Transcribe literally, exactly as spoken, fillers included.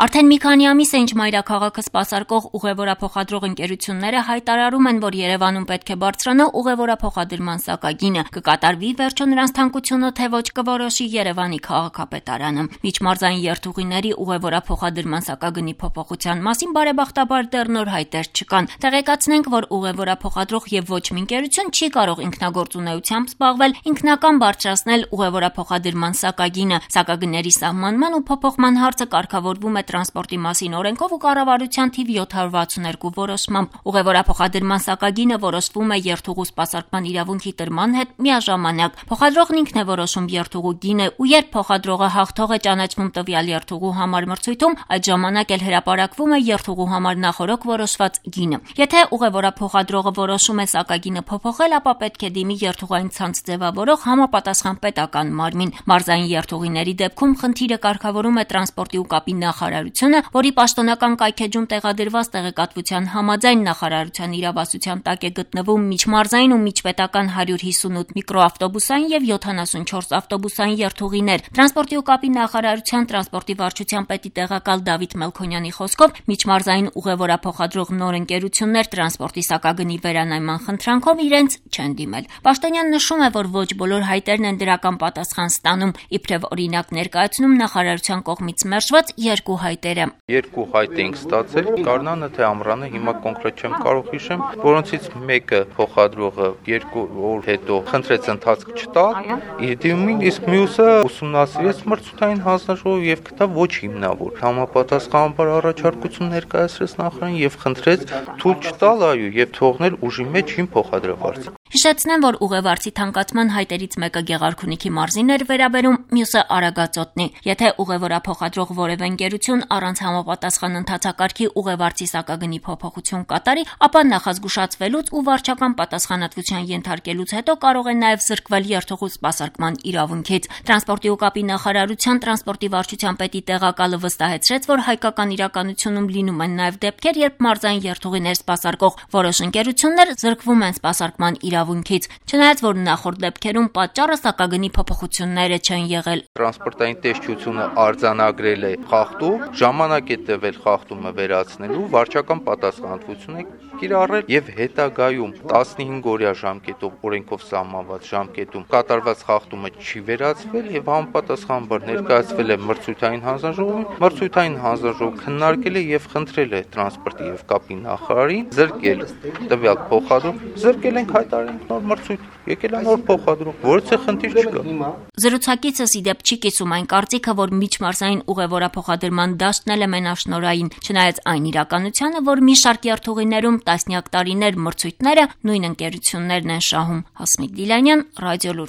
Արդեն մի քանի ամիս է, ինչ մայրաքաղաքը սպասարկող ուղևորափոխադրող ընկերությունները հայտարարում են, որ Երևանում պետք է բարձրանա ուղևորափոխադրման սակագինը, կկատարվի վերջո նրանց թանկությունը, թե ոչ կորոշի Երևանի քաղաքապետարանը։ Միջմարզային երթուղիների ուղևորափոխադրման սակագնի փոփոխության մասին բարեբախտաբար դեռ նոր հայտեր չկան։ Տեղեկացնենք, որ ուղևորափոխադրող եւ ոչ մի ընկերություն չի կարող ինքնագործունեությամբ զբաղվել, ինքնական բարձրացնել ուղևորափոխադրման սակագինը։ Սակագների սահմանման ու փոփոխման հարցը կարգավորվում է Տրանսպորտի մասին օրենքով ու կառավարության թիվ յոթ հարյուր վաթսուներկու որոշմամբ։ Ուղևորափոխադրման սակագինը որոշվում է երթուղու սպասարկման իրավունքի տրման հետ միաժամանակ։ Փոխադրողն ինքն է որոշում երթուղու գինը, ու երբ փոխադրողը հաղթող է ճանաչվում տվյալ երթուղու համար մրցույթում, այդ ժամանակ էլ հրապարակվում է երթուղու համար նախօրոք որոշված գինը։ Եթե ուղևորափոխադրողը որոշում է սակագինը փոփոխել, ապա պետք է դիմի երթուղային ցանց ձևավորող համապատասխան պետական մարմին։ Մարզային երթուղիների դեպքում խնդիրը կարգավորում է Տրանսպորտի ու կապի նախարարությունը, որի պաշտոնական կայքեջում տեղադրված տեղեկատվության համաձայն նախարարության իրավասության տակ է գտնվում միջմարզային ու միջպետական հարյուր հիսունութ միկրոավտոբուսային եւ յոթանասունչորս ավտոբուսային երթուղիներ։ Տրանսպորտի ու կապի նախարարության տրանսպորտի վարչության պետի տեղակալ Դավիթ Մելքոնյանի խոսքով միջմարզային ուղևորափոխադրող նոր ընկերություններ տրանսպորտի սակագնի վերանայման խնդրանքով իրենց չեն դիմել։ Պաշտոնյան նշում է, որ ոչ բոլոր հայտերն են դրական պատասխան ստանում, իբրև օրինակ ներկայացնում նախարարության կողմից մերժված երկու հայտերը։ Երկու հայտ ենք ստացել, Գարնանը թե Ամռանը, հիմա կոնկրետ չեմ կարող հիշեմ, որոնցից մեկը փոխադրողը երկու օր հետո խնդրեց ընթացք չտալ, իդիմին, իսկ մյուսը ուսումնասիրեց մրցութային հանձնաժողով եւ գտավ ոչ հիմնավոր։ Համապատասխանաբար առաջարկություն ներկայացրեց նախարարին եւ խնդրեց թույլ չտալ, այո, եւ թողնել ուժի մեջ իմ փոխադրվարձը։ Հիշեցնեմ, որ ուղևորցի թանկացման հայտերից մեկը Գեղարքունիքի մարզին էր վերաբերում, մյուսը Արագածոտնի։ Եթե ուղևորափոխադրող որևէ ընկերություն առանց համապատասխան ընթացակարգի ուղևորցի սակագնի փոփոխություն կատարի, ապա նախազգուշացվելուց ու վարչական պատասխանատվության ենթարկելուց հետո կարող է նաև զրկվել երթուղու սպասարկման իրավունքից։ Տրանսպորտի ու կապի նախարարության տրանսպորտի վարչության պետի տեղակալը վստահեցրեց, որ հայկական իրականությունում լինում են նաև դեպքեր, երբ մարզային երթուղիներ սպասարկող որոշ ընկերություններ զրկվում են սպասարկման իրավունքից, չնայած որ նախորդ դեպքերում պատճառը սակագնի փոփոխությունները չեն եղել։ Տրանսպորտային տեսչությունը արձանագրել է խախտում, ժամանակ է տևել խախտումը վերացնելու, վարչական պատասխանատվություն է կիրառել եւ հետագայում տասնհինգ օրյա ժամկետով օրենքով սահմանված ժամկետում կատարված խախտումը չի վերացվել եւ համապատասխանաբար ներկայացվել է մրցութային հանձնաժողովին։ Մրցութային հանձնաժողովը քննարկել է եւ խնդրել է տրանսպորտի եւ կապի նախարարին զրկել տվյալ փոխադրող, զրկել ենք հայտարարել նոր մրցույթ, եկել է նոր փոխադրող, որից է խնդիր չկա։ Զրուցակիցս ի դեպ չի կիսում այն կարծիքը, որ միջմարզային ուղևորափոխադրման դաշտն էլ է մենաշնորհային, չնայած այն իրականությանը, որ մի շարք երթուղիներում տասնյակ տարիներ մրցույթները նույն ընկերություններն են շահում։ Հասմիկ Դիլանյան, Ռադիոլուր։